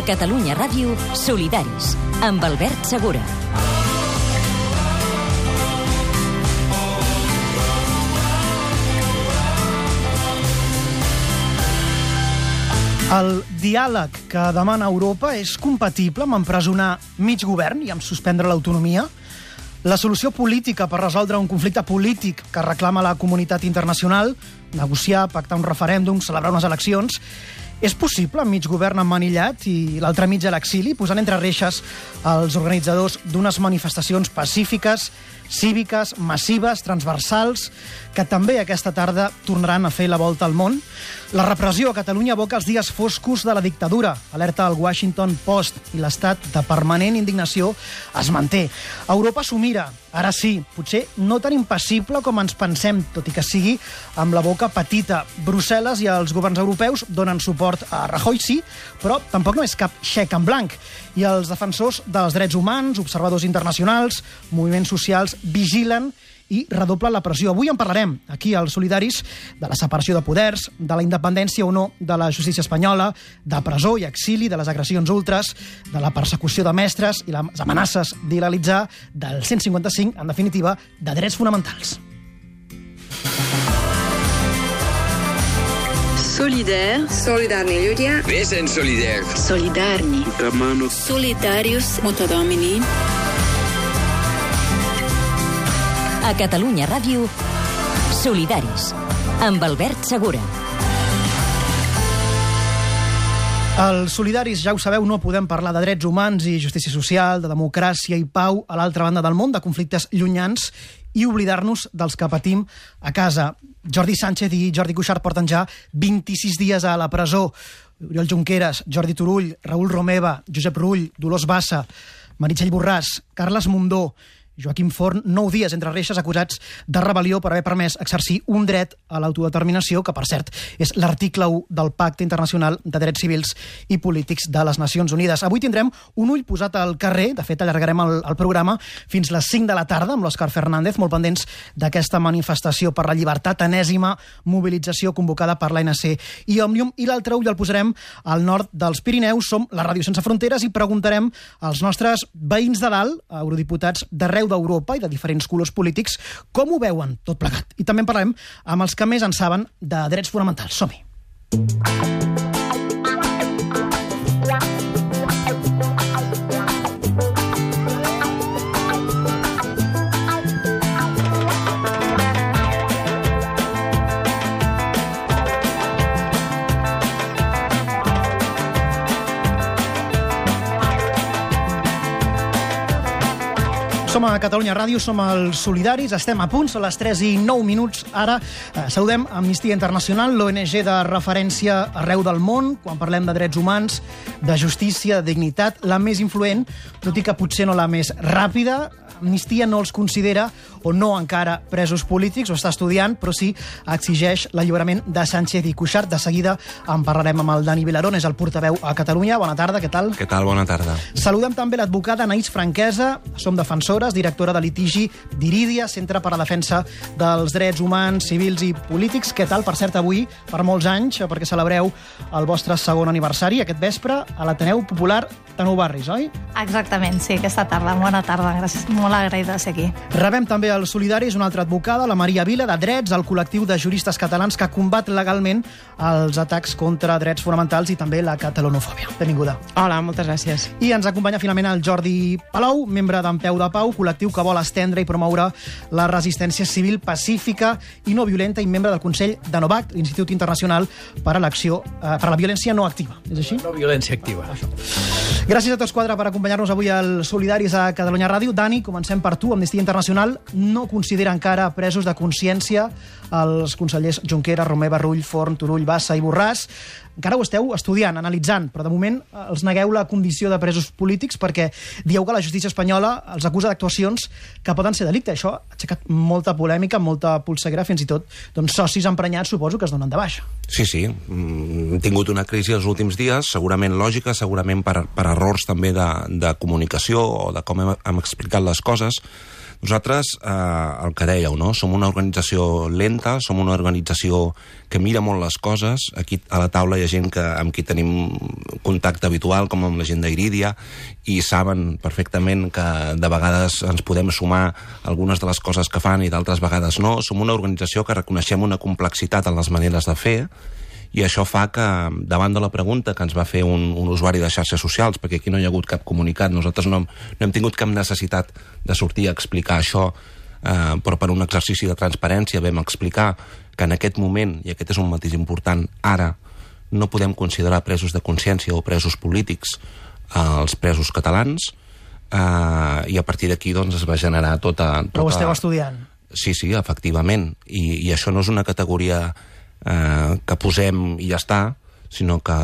Catalunya Ràdio, Solidaris, amb Albert Segura. El diàleg que demana Europa és compatible amb empresonar mig govern i amb suspendre l'autonomia? La solució política per resoldre un conflicte polític que reclama la comunitat internacional, negociar, pactar un referèndum, celebrar unes eleccions, és possible amb mig govern emmanillat i l'altre mig a l'exili, posant entre reixes els organitzadors d'unes manifestacions pacífiques, cíviques, massives, transversals, que també aquesta tarda tornaran a fer la volta al món? La repressió a Catalunya evoca els dies foscos de la dictadura, alerta el Washington Post, i l'estat de permanent indignació es manté. Europa s'ho mira, ara sí, potser no tan impassible com ens pensem, tot i que sigui amb la boca petita. Brussel·les i els governs europeus donen suport a Rajoy, sí, però tampoc no és cap xec en blanc. I els defensors dels drets humans, observadors internacionals, moviments socials, vigilen i redoblen la pressió. Avui en parlarem, aquí als Solidaris, de la separació de poders, de la independència o no de la justícia espanyola, de presó i exili, de les agressions ultres, de la persecució de mestres i les amenaces d'il·legalitzar, del 155, en definitiva, de drets fonamentals. Solidar. Solidarni ľudia. Vesen solidar. Solidarni. Solidarius Mutadomini. A Catalunya Ràdio, Solidaris, amb Albert Segura. Els Solidaris, ja ho sabeu, no podem parlar de drets humans i justícia social, de democràcia i pau a l'altra banda del món, de conflictes llunyans, i oblidar-nos dels que patim a casa. Jordi Sánchez i Jordi Cuixart porten ja 26 dies a la presó. Oriol Junqueras, Jordi Turull, Raül Romeva, Josep Rull, Dolors Bassa, Meritxell Borràs, Carles Mundó, Joaquim Forn, 9 dies entre reixes acusats de rebel·lió per haver permès exercir un dret a l'autodeterminació, que, per cert, és l'article 1 del Pacte Internacional de Drets Civils i Polítics de les Nacions Unides. Avui tindrem un ull posat al carrer, de fet allargarem el programa fins les 5 de la tarda amb l'Òscar Fernández, molt pendents d'aquesta manifestació per la llibertat, enèsima mobilització convocada per l'ANC i Òmnium, i l'altre ull el posarem al nord dels Pirineus. Som la Ràdio Sense Fronteres i preguntarem als nostres veïns de dalt, eurodiputats d'arreu d'Europa i de diferents colors polítics, com ho veuen tot plegat. I també en parlarem amb els que més en saben de drets fonamentals. Som-hi! Som a Catalunya Ràdio, som els Solidaris, estem a punt, són les 3 i 9 minuts. Ara saludem Amnistia Internacional, l'ONG de referència arreu del món, quan parlem de drets humans, de justícia, de dignitat, la més influent, tot i que potser no la més ràpida. Amnistia no els considera, o no encara, presos polítics, ho està estudiant, però sí exigeix l'alliberament de Sánchez i Cuixart. De seguida en parlarem amb el Dani Vilarón, és el portaveu a Catalunya. Bona tarda, què tal? Què tal? Bona tarda. Saludem també l'advocada Anaïs Franquesa, som defensores, directora de litigi d'Irídia, Centre per a la Defensa dels Drets Humans, Civils i Polítics. Què tal, per cert, avui, per molts anys, perquè celebreu el vostre segon aniversari, aquest vespre, a l'Ateneu Popular de Nou Barris, oi? Exactament, sí, aquesta tarda. Bona tarda, gràcies. Molt agraïda de ser aquí. Rebem també els Solidaris una altra advocada, la Maria Vila, de Drets, el col·lectiu de juristes catalans que combat legalment els atacs contra drets fonamentals i també la catalanofòbia. Benvinguda. Hola, moltes gràcies. I ens acompanya finalment el Jordi Palou, membre d'En Peu de Pau, col·lectiu que vol estendre i promoure la resistència civil pacífica i no violenta i membre del Consell de NOVAC, l'Institut Internacional per a la Violència No Activa. És així? No violència activa. Gràcies a tots quatre per acompanyar-nos avui al Solidaris a Catalunya Ràdio. Dani, comencem per tu. Amnistia Internacional no considera encara presos de consciència els consellers Junqueras, Romeva, Rull, Forn, Turull, Bassa i Borràs. Encara ho esteu estudiant, analitzant, però de moment els negueu la condició de presos polítics perquè dieu que la justícia espanyola els acusa d'actuacions que poden ser delicte. Això ha aixecat molta polèmica, molta polseguera, fins i tot socis emprenyats, suposo, que es donen de baixa. Sí. Hem tingut una crisi els últims dies, segurament lògica, segurament per errors també de comunicació o de com hem explicat les coses. Nosaltres, el que dèieu, no? Som una organització lenta, som una organització que mira molt les coses. Aquí a la taula hi ha gent amb qui tenim contacte habitual, com amb la gent d'Iridia, i saben perfectament que de vegades ens podem sumar algunes de les coses que fan i d'altres vegades no. Som una organització que reconeixem una complexitat en les maneres de fer, i això fa que, davant de la pregunta que ens va fer un usuari de xarxes socials, perquè aquí no hi ha hagut cap comunicat, nosaltres no hem tingut cap necessitat de sortir a explicar això, però per un exercici de transparència vam explicar que en aquest moment, i aquest és un matís important, ara no podem considerar presos de consciència o presos polítics els presos catalans, i a partir d'aquí doncs, es va generar tota... Però ho esteu estudiant? Sí, efectivament, i això no és una categoria que posem i ja està, sinó que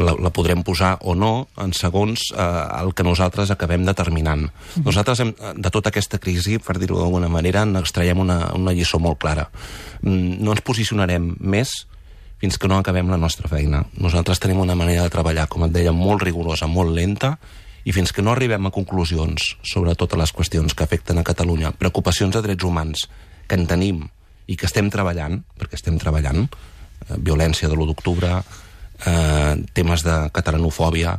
la podrem posar o no en segons el que nosaltres acabem determinant. Nosaltres, de tota aquesta crisi, per dir-ho d'alguna manera, n'extraiem una lliçó molt clara. No ens posicionarem més fins que no acabem la nostra feina. Nosaltres tenim una manera de treballar, com et deia, molt rigorosa, molt lenta, i fins que no arribem a conclusions sobre totes les qüestions que afecten a Catalunya, preocupacions de drets humans que en tenim i que estem treballant, perquè estem treballant, violència de l'1 d'octubre, temes de catalanofòbia,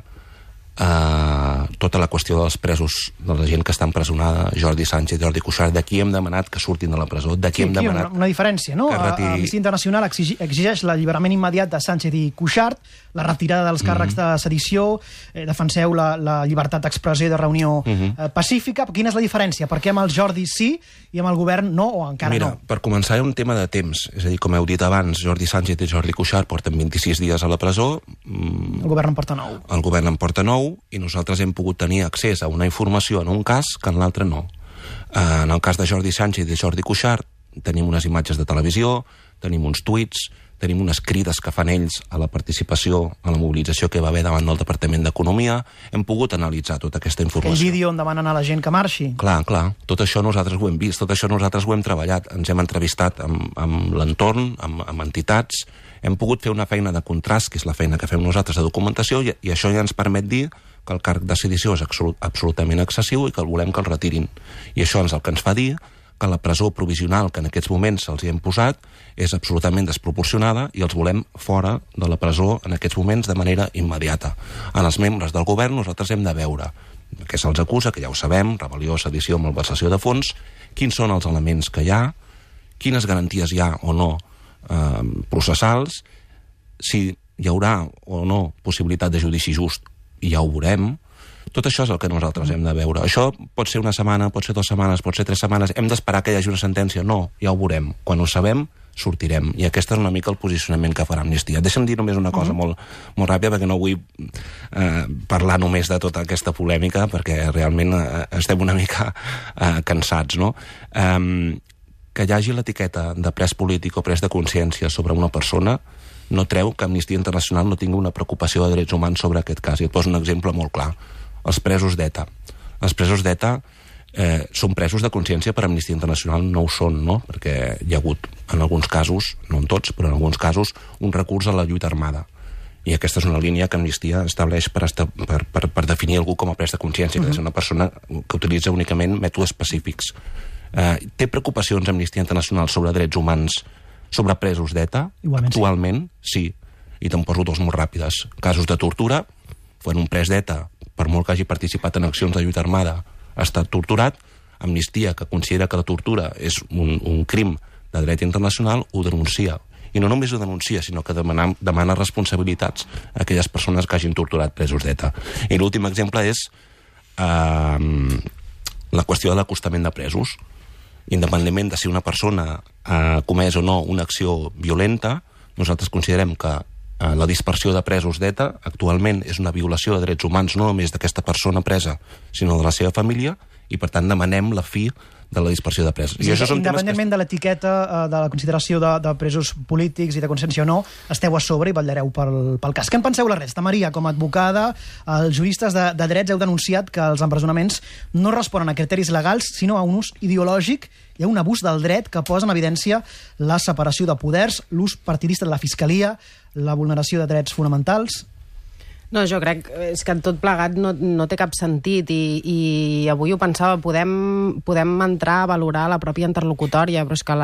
tota la qüestió dels presos, de la gent que està empresonada, Jordi Sánchez, Jordi Cuixart, d'aquí hem demanat que surtin de la presó, d'aquí hem demanat... Una diferència, no? Amnistia Internacional exigeix l'alliberament immediat de Sánchez i Cuixart, la retirada dels càrrecs de sedició, defenseu la llibertat d'expressió i de reunió pacífica. Quina és la diferència? Per què amb el Jordi sí i amb el govern no, o encara no? Mira, per començar, hi ha un tema de temps. És a dir, com heu dit abans, Jordi Sánchez i Jordi Cuixart porten 26 dies a la presó. El govern en porta 9. El govern en porta 9, i nosaltres hem pogut tenir accés a una informació en un cas que en l'altre no. En el cas de Jordi Sánchez i de Jordi Cuixart tenim unes imatges de televisió, tenim uns tuits, tenim unes crides que fan ells a la participació, a la mobilització que va haver davant del Departament d'Economia. Hem pogut analitzar tota aquesta informació. Aquell vídeo on demanen a la gent que marxi. Clar. Tot això nosaltres ho hem vist, tot això nosaltres ho hem treballat. Ens hem entrevistat amb l'entorn, amb entitats. Hem pogut fer una feina de contrast, que és la feina que fem nosaltres de documentació, i això ja ens permet dir que el càrrec de sedició és absolutament excessiu i que el volem que el retirin. I això és el que ens fa dir que la presó provisional que en aquests moments se'ls hi hem posat és absolutament desproporcionada i els volem fora de la presó en aquests moments de manera immediata. En els membres del govern nosaltres hem de veure què se'ls acusa, que ja ho sabem, rebel·lió, sedició, malversació de fons, quins són els elements que hi ha, quines garanties hi ha o no processals, si hi haurà o no possibilitat de judici just, i ja ho veurem. Tot això és el que nosaltres hem de veure. Això pot ser una setmana, pot ser 2 setmanes, pot ser 3 setmanes. Hem d'esperar que hi hagi una sentència? No, ja ho veurem. Quan ho sabem, sortirem. I aquest és una mica el posicionament que farà Amnistia. Deixa'm dir només una cosa molt ràpida, perquè no vull parlar només de tota aquesta polèmica, perquè realment estem una mica cansats, no? Que hi hagi l'etiqueta de pres polític o pres de consciència sobre una persona no treu que Amnistia Internacional no tingui una preocupació de drets humans sobre aquest cas. I et poso un exemple molt clar. Els presos d'ETA. Els presos d'ETA són presos de consciència, per Amnistia Internacional no ho són, no? Perquè hi ha hagut, en alguns casos, no en tots, però en alguns casos, un recurs a la lluita armada. I aquesta és una línia que Amnistia estableix per definir algú com a pres de consciència, que és una persona que utilitza únicament mètodes específics. Té preocupacions Amnistia Internacional sobre drets humans, sobre presos d'ETA? Actualment, sí. I te'n poso 2 molt ràpides. Casos de tortura, quan un pres d'ETA, per molt que hagi participat en accions de lluita armada, ha estat torturat, Amnistia, que considera que la tortura és un crim de dret internacional, ho denuncia. I no només ho denuncia, sinó que demana responsabilitats a aquelles persones que hagin torturat presos d'ETA. I l'últim exemple és la qüestió de l'acostament de presos. Independentment de si una persona ha comès o no una acció violenta, nosaltres considerem que la dispersió de presos d'ETA actualment és una violació de drets humans no només d'aquesta persona presa, sinó de la seva família, i per tant demanem la fi de la dispersió de presos. I això són independentment de l'etiqueta de la consideració de presos polítics i de consciència o no, esteu a sobre i vetllareu pel cas. Què en penseu la resta? Maria, com a advocada, els juristes de drets heu denunciat que els empresonaments no responen a criteris legals, sinó a un ús ideològic i a un abús del dret que posa en evidència la separació de poders, l'ús partidista de la Fiscalia, la vulneració de drets fonamentals. No, jo crec que tot plegat no té cap sentit i avui ho pensava, podem entrar a valorar la pròpia interlocutòria, però és que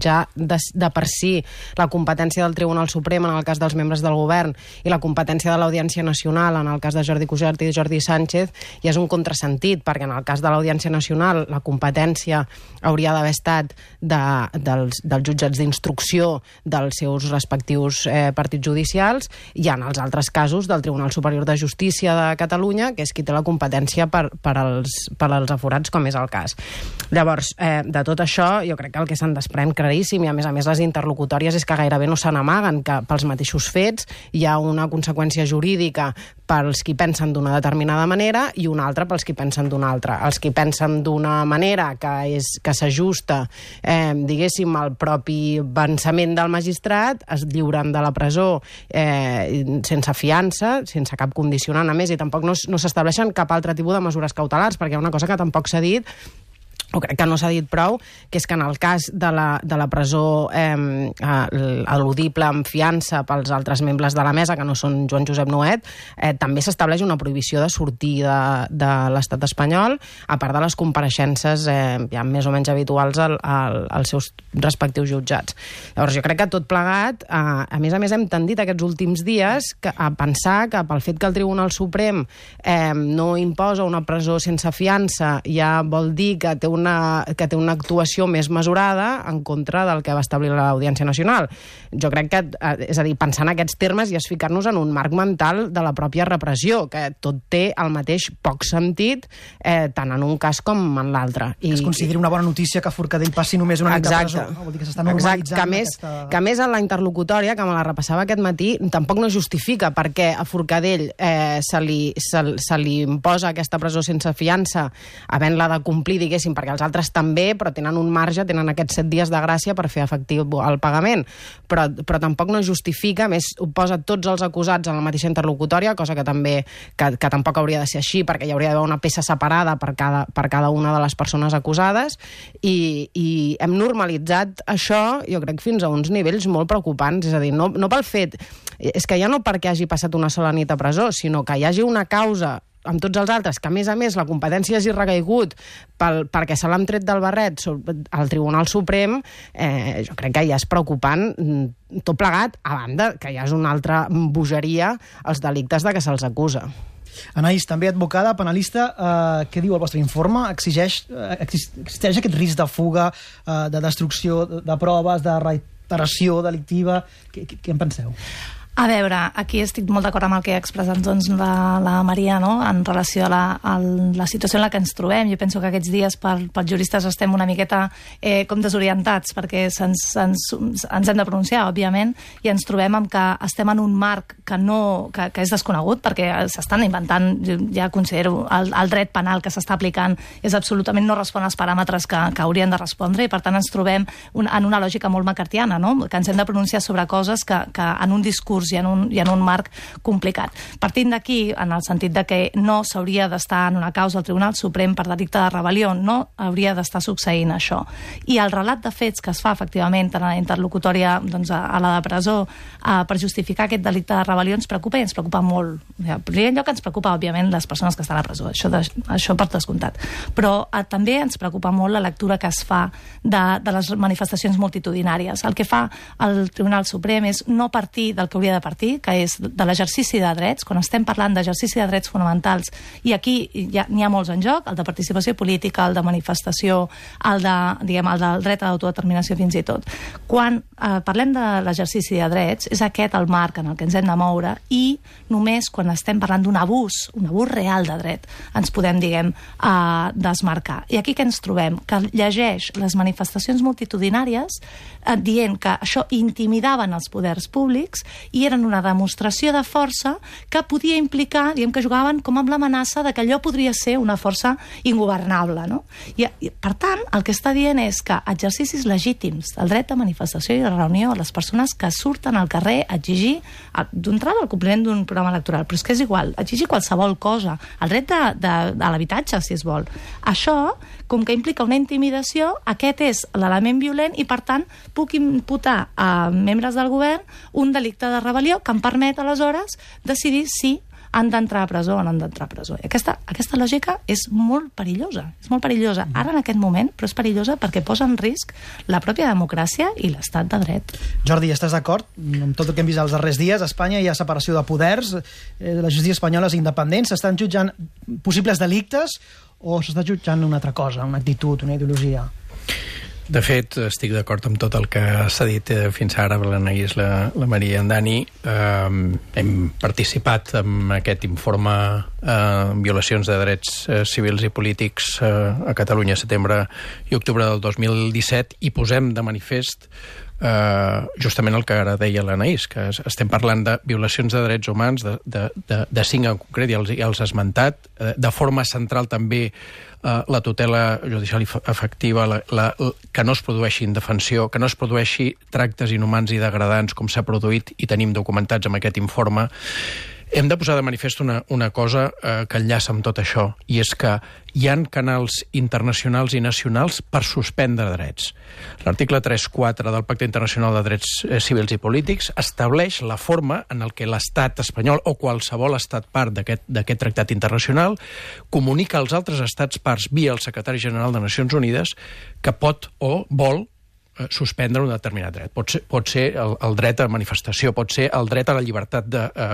ja de per si la competència del Tribunal Suprem en el cas dels membres del govern i la competència de l'Audiència Nacional en el cas de Jordi Cuixart i Jordi Sánchez ja és un contrasentit, perquè en el cas de l'Audiència Nacional la competència hauria d'haver estat dels jutjats d'instrucció dels seus respectius partits judicials i en els altres casos del Tribunal Superior de Justícia de Catalunya, que és qui té la competència per als aforats, com és el cas. Llavors, de tot això, jo crec que el que se'n desprèn claríssim, i a més les interlocutòries és que gairebé no se n'amaguen, que pels mateixos fets hi ha una conseqüència jurídica pels qui pensen d'una determinada manera i una altra pels qui pensen d'una altra. Els qui pensen d'una manera que s'ajusta, diguéssim, al propi pensament del magistrat, es lliuren de la presó sense fiança, sense cap condicionant, a més, i tampoc no s'estableixen cap altre tipus de mesures cautelars, perquè hi ha una cosa que tampoc s'ha dit, o crec que no s'ha dit prou, que és que en el cas de la presó eludible amb fiança pels altres membres de la mesa, que no són Joan Josep Nuet, també s'estableix una prohibició de sortir de l'estat espanyol, a part de les compareixences ja més o menys habituals als seus respectius jutjats. Llavors, jo crec que tot plegat, a més hem tendit aquests últims dies a pensar que pel fet que el Tribunal Suprem no imposa una presó sense fiança ja vol dir que té una actuació més mesurada en contra del que va establir l'Audiència Nacional. Jo crec que, és a dir, pensar en aquests termes i es ficar-nos en un marc mental de la pròpia repressió, que tot té el mateix poc sentit tant en un cas com en l'altre. Es considera una bona notícia que Forcadell passi només una nit de presó. No? Vol dir que s'està normalitzant que a més en la interlocutòria, que me la repassava aquest matí, tampoc no justifica perquè a Forcadell se li imposa aquesta presó sense fiança havent-la de complir, diguéssim, perquè els altres també, però tenen un marge, tenen aquests 7 dies de gràcia per fer efectiu el pagament. Però tampoc no justifica, més ho posa tots els acusats en la mateixa interlocutòria, cosa que tampoc hauria de ser així, perquè hi hauria d'haver una peça separada per cada una de les persones acusades, i hem normalitzat això, jo crec, fins a uns nivells molt preocupants. És a dir, no pel fet... És que ja no perquè hagi passat una sola nit a presó, sinó que hi hagi una causa amb tots els altres, que a més la competència hagi recaigut perquè se l'han tret del barret al Tribunal Suprem, jo crec que ja és preocupant tot plegat, a banda que ja és una altra bogeria els delictes de què se'ls acusa. Anaïs, també advocada, penalista, què diu el vostre informe? Existeix aquest risc de fuga, de destrucció de proves, de reiteració delictiva? Què en penseu? A veure, aquí estic molt d'acord amb el que ha expressat la Maria, no?, en relació a la situació en la que ens trobem. Jo penso que aquests dies pels juristes estem una miqueta com desorientats, perquè ens hem de pronunciar, òbviament, i ens trobem amb que estem en un marc que és desconegut, perquè s'estan inventant, ja considero, el dret penal que s'està aplicant és absolutament no respon als paràmetres que haurien de respondre, i per tant ens trobem en una lògica molt macartiana, no?, que ens hem de pronunciar sobre coses que en un discurs i en un marc complicat. Partint d'aquí, en el sentit de que no s'hauria d'estar en una causa al Tribunal Suprem per delicte de rebel·lió, no hauria d'estar succeint això. I el relat de fets que es fa, efectivament, en la interlocutòria a la de presó per justificar aquest delicte de rebel·lió ens preocupa, i ens preocupa molt. En primer lloc ens preocupa, òbviament, les persones que estan a presó, això per descomptat. Però també ens preocupa molt la lectura que es fa de les manifestacions multitudinàries. El que fa el Tribunal Suprem és no partir del que hauria de partir, que és de l'exercici de drets. Quan estem parlant d'exercici de drets fonamentals, i aquí n'hi ha molts en joc, el de participació política, el de manifestació, el del dret a l'autodeterminació fins i tot. Quan parlem de l'exercici de drets, és aquest el marc en el que ens hem de moure, i només quan estem parlant d'un abús real de dret, ens podem, desmarcar. I aquí què ens trobem? Que llegeix les manifestacions multitudinàries dient que això intimidaven els poders públics i eren una demostració de força que podia implicar, que jugaven com amb l'amenaça de que allò podria ser una força ingovernable, no? I per tant, el que està dient és que exercicis legítims del dret de manifestació i de reunió a les persones que surten al carrer a exigir d'entrada el compliment d'un programa electoral, però és que és igual, exigir qualsevol cosa, el dret de l'habitatge, si es vol. Això, com que implica una intimidació, aquest és l'element violent i, per tant, puc imputar a membres del govern un delicte de rebel·lió que em permet, aleshores, decidir si han d'entrar a presó o no han d'entrar a presó. Aquesta lògica és molt perillosa. Ara, en aquest moment, però és perillosa perquè posa en risc la pròpia democràcia i l'estat de dret. Jordi, estàs d'acord amb tot el que hem vist els darrers dies? A Espanya hi ha separació de poders, la justícia espanyola és independent, s'estan jutjant possibles delictes o s'està jutjant una altra cosa, una actitud, una ideologia? De fet, estic d'acord amb tot el que s'ha dit fins ara per l'Anaïs, la Maria i en Dani. Hem participat en aquest informe violacions de drets civils i polítics a Catalunya setembre i octubre del 2017 i posem de manifest justament el que ara deia l'Anaïs, que estem parlant de violacions de drets humans, de 5 en concret, ja els ha esmentat, de forma central també la tutela judicial efectiva, que no es produeixi indefensió, que no es produeixi tractes inhumans i degradants com s'ha produït i tenim documentats amb aquest informe. Hem de posar de manifest una cosa que enllaça amb tot això, i és que hi ha canals internacionals i nacionals per suspendre drets. L'article 3.4 del Pacte Internacional de Drets Civils i Polítics estableix la forma en què l'estat espanyol o qualsevol estat part d'aquest tractat internacional comunica als altres estats parts via el secretari general de Nacions Unides que pot o vol suspendre un determinat dret. Pot ser el dret a manifestació, pot ser el dret a la llibertat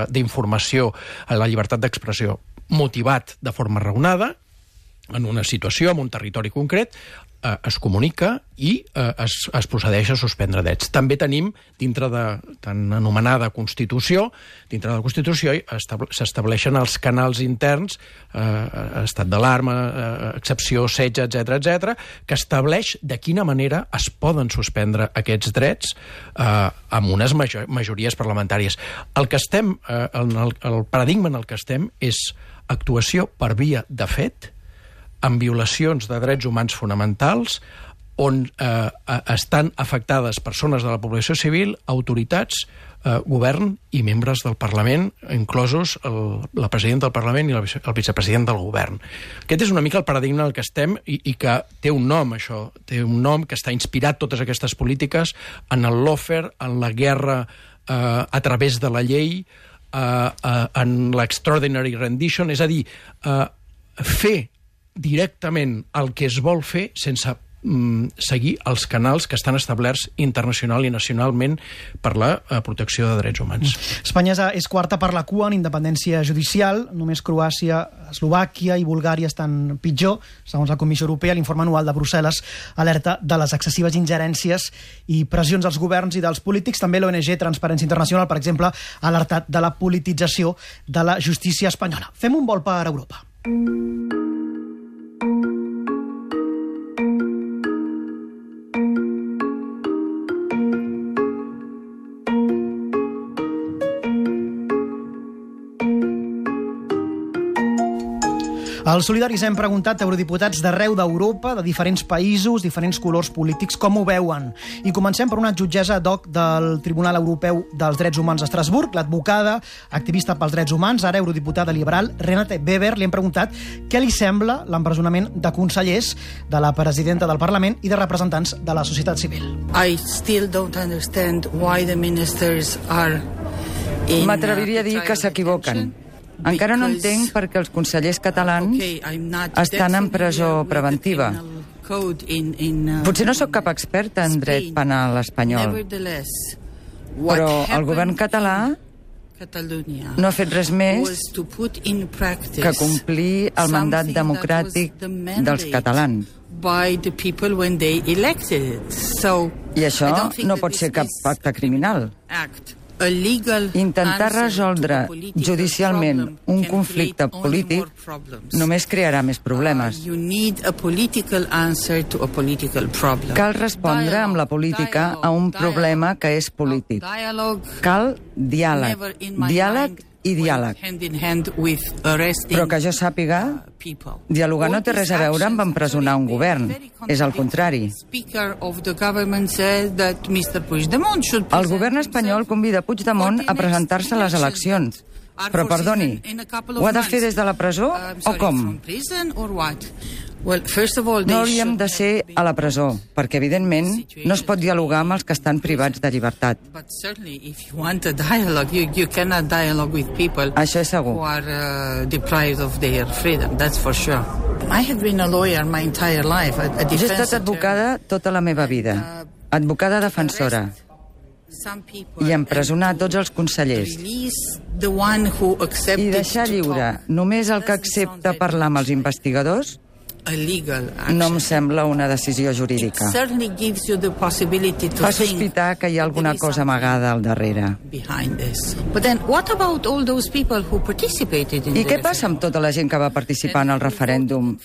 d'informació, a la llibertat d'expressió, motivat de forma raonada, en una situació, en un territori concret, es comunica i es procedeix a suspendre drets. També tenim, dintre de tan anomenada Constitució, dintre de la Constitució s'estableixen els canals interns, estat d'alarma, excepció, setge, etc., que estableix de quina manera es poden suspendre aquests drets amb unes majories parlamentàries. El paradigma en el que estem és actuació per via de fet, amb violacions de drets humans fonamentals, on estan afectades persones de la població civil, autoritats, govern i membres del Parlament, inclosos la presidenta del Parlament i el vicepresident del govern. Aquest és una mica el paradigma en el que estem i que té un nom, això. Té un nom que està inspirat, totes aquestes polítiques, en el lawfare, en la guerra a través de la llei, en l'extraordinary rendition, és a dir, fer directament el que es vol fer sense seguir els canals que estan establerts internacional i nacionalment per la protecció de drets humans. Espanya és quarta per la cua en independència judicial, només Croàcia, Eslovàquia i Bulgària estan pitjor, segons la Comissió Europea. L'informe anual de Brussel·les alerta de les excessives ingerències i pressions als governs i dels polítics. També l'ONG Transparència Internacional, per exemple, ha alertat de la politització de la justícia espanyola. Fem un vol per Europa. Als Solidaris hem preguntat a eurodiputats d'arreu d'Europa, de diferents països, diferents colors polítics, com ho veuen. I comencem per una jutgessa ad hoc del Tribunal Europeu dels Drets Humans a Estrasburg, l'advocada, activista pels drets humans, ara eurodiputada liberal, Renate Weber. Li hem preguntat què li sembla l'empresonament de consellers, de la presidenta del Parlament i de representants de la societat civil. I still don't understand why the ministers are M'atreviria a dir que s'equivoquen. Encara no entenc per què els consellers catalans estan en presó preventiva. Potser no sóc cap experta en dret penal espanyol, però el govern català no ha fet res més que complir el mandat democràtic dels catalans. I això no pot ser cap acte criminal. Intentar resoldre judicialment un conflicte polític només crearà més problemes. Cal respondre amb la política a un problema que és polític. Cal diàleg, diàleg i diàleg. Però que jo sàpiga, dialogar no té res a veure amb empresonar un govern. És el contrari. El govern espanyol convida Puigdemont a presentar-se a les eleccions. Però, perdoni, ho ha de fer des de la presó o com? No hauríem de ser a la presó, perquè, evidentment, no es pot dialogar amb els que estan privats de llibertat. Això és segur. Jo he estat advocada tota la meva vida, advocada defensora, i empresonar tots els consellers. I deixar lliure només el que accepta parlar amb els investigadors no em sembla una decisió jurídica. Fa sospitar que hi ha alguna cosa amagada al darrere. I què passa amb tota la gent que va participar en el referèndum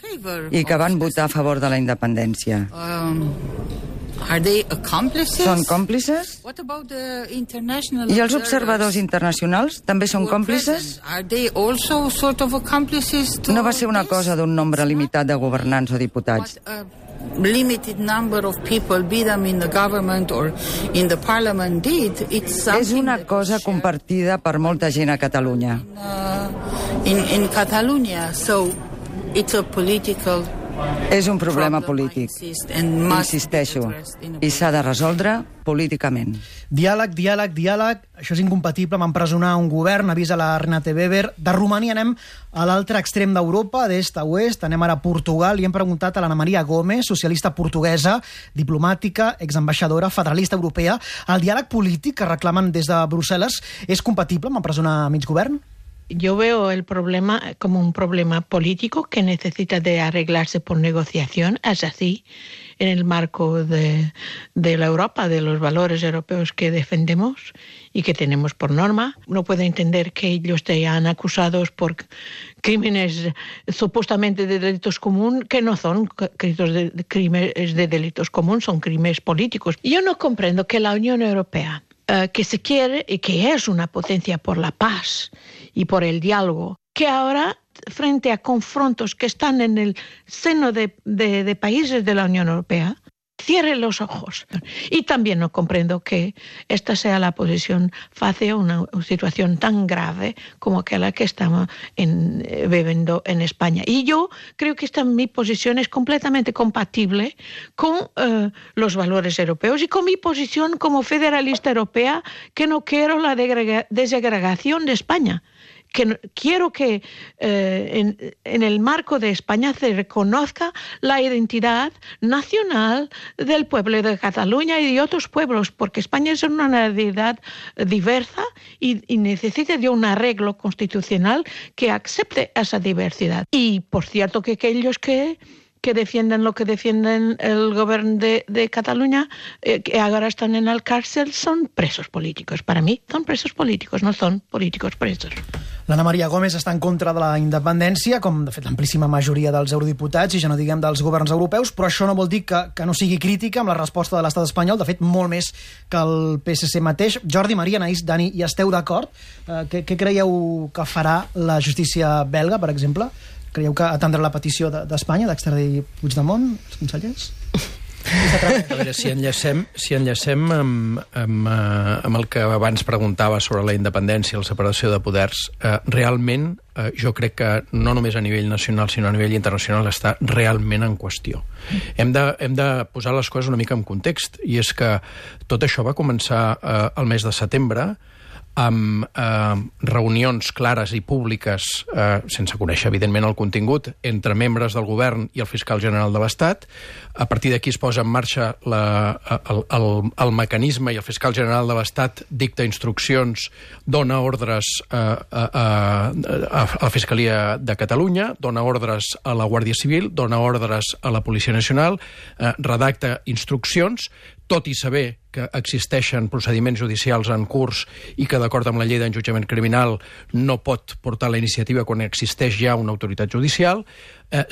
i que van votar a favor de la independència? Són còmplices? I els observadors internacionals també són còmplices? No va ser una cosa d'un nombre limitat de governants o diputats. És una cosa compartida per molta gent a Catalunya. És un problema polític, insisteixo, i s'ha de resoldre políticament. Diàleg, diàleg, diàleg, això és incompatible amb empresonar un govern, avisa la Renate Weber. De Romania anem a l'altre extrem d'Europa, d'est a oest, anem ara a Portugal, i hem preguntat a l'Anna Maria Gómez, socialista portuguesa, diplomàtica, exambaixadora, federalista europea. El diàleg polític que reclamen des de Brussel·les és compatible amb empresonar mig govern? Yo veo el problema como un problema político que necesita de arreglarse por negociación. Es así en el marco de la Europa, de los valores europeos que defendemos y que tenemos por norma. No puedo entender que ellos sean acusados por crímenes supuestamente de delitos comunes, que no son crímenes de delitos comunes, son crímenes políticos. Yo no comprendo que la Unión Europea, que se quiere y que es una potencia por la paz y por el diálogo, que ahora, frente a confrontos que están en el seno de países de la Unión Europea, cierre los ojos. Y también no comprendo que esta sea la posición fácil a una situación tan grave como aquella que estamos viviendo en España. Y yo creo que mi posición es completamente compatible con los valores europeos y con mi posición como federalista europea, que no quiero la desagregación de España. Que quiero que en el marco de España se reconozca la identidad nacional del pueblo de Cataluña y de otros pueblos, porque España es una nacionalidad diversa y necesita de un arreglo constitucional que acepte esa diversidad. Y por cierto que aquellos que defienden lo que defienden el gobierno de Cataluña, que ahora están en la cárcel, son presos políticos. Para mí son presos políticos, no son políticos presos. L'Anna Maria Gómez està en contra de la independència, com de fet l'amplíssima majoria dels eurodiputats, i ja no diguem dels governs europeus, però això no vol dir que no sigui crítica amb la resposta de l'estat espanyol, de fet molt més que el PSC mateix. Jordi, Maria, Anaïs, Dani, hi esteu d'acord? Què creieu que farà la justícia belga, per exemple? Creieu que atendrà la petició d'Espanya d'extradir Puigdemont, els consellers? A veure, si enllacem amb el que abans preguntava sobre la independència i la separació de poders, realment jo crec que no només a nivell nacional sinó a nivell internacional està realment en qüestió. Hem de posar les coses una mica en context, i és que tot això va començar el mes de setembre amb reunions clares i públiques, sense conèixer evidentment el contingut, entre membres del govern i el fiscal general de l'Estat. A partir d'aquí es posa en marxa el mecanisme i el fiscal general de l'Estat dicta instruccions, dona ordres a la Fiscalia de Catalunya, dona ordres a la Guàrdia Civil, dona ordres a la Policia Nacional, redacta instruccions, tot i saber que existeixen procediments judicials en curs i que, d'acord amb la llei d'enjudiciament criminal, no pot portar la iniciativa quan existeix ja una autoritat judicial.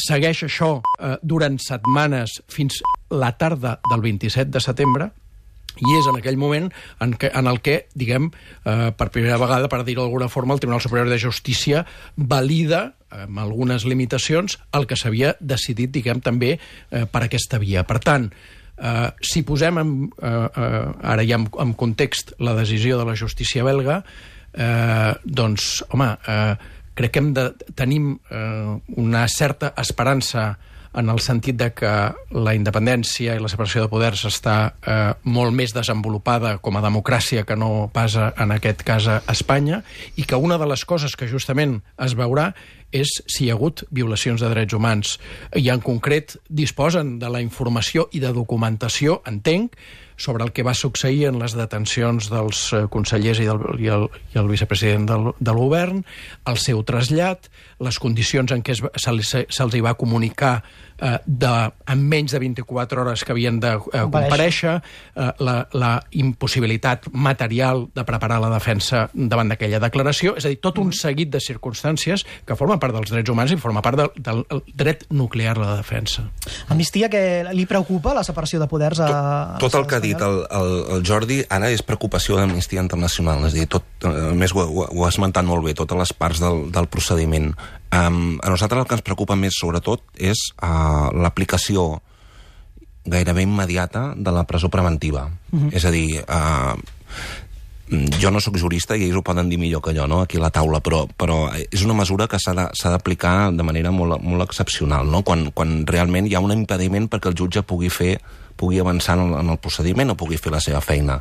Segueix això durant setmanes fins la tarda del 27 de setembre, i és en aquell moment en el que, diguem, per primera vegada, per dir-ho d'alguna forma, el Tribunal Superior de Justícia valida, amb algunes limitacions, el que s'havia decidit, diguem, també per aquesta via. Per tant, si posem ara ja en context la decisió de la justícia belga, doncs, home, crec que tenim una certa esperança en el sentit de que la independència i la separació de poders està molt més desenvolupada com a democràcia que no pas en aquest cas a Espanya, i que una de les coses que justament es veurà és si hi ha hagut violacions de drets humans. I en concret disposen de la informació i de documentació, entenc, sobre el que va succeir en les detencions dels consellers i el vicepresident del govern, el seu trasllat, les condicions en què se'ls hi va comunicar en menys de 24 hores que havien de comparèixer, la impossibilitat material de preparar la defensa davant d'aquella declaració, és a dir, tot un seguit de circumstàncies que formen part dels drets humans i forma part del dret nuclear a la defensa. Amnistia, que li preocupa la separació de poders a tot el que ha dit el Jordi ara és preocupació d'Amnistia Internacional, és a dir, a més ho ha esmentat molt bé, totes les parts del procediment. A nosaltres el que ens preocupa més, sobretot, és l'aplicació gairebé immediata de la presó preventiva. És a dir, jo no sóc jurista i ells ho poden dir millor que jo, no?, aquí a la taula, però és una mesura que s'ha d'aplicar de manera molt excepcional, no?, quan realment hi ha un impediment perquè el jutge pugui avançar en el procediment o pugui fer la seva feina.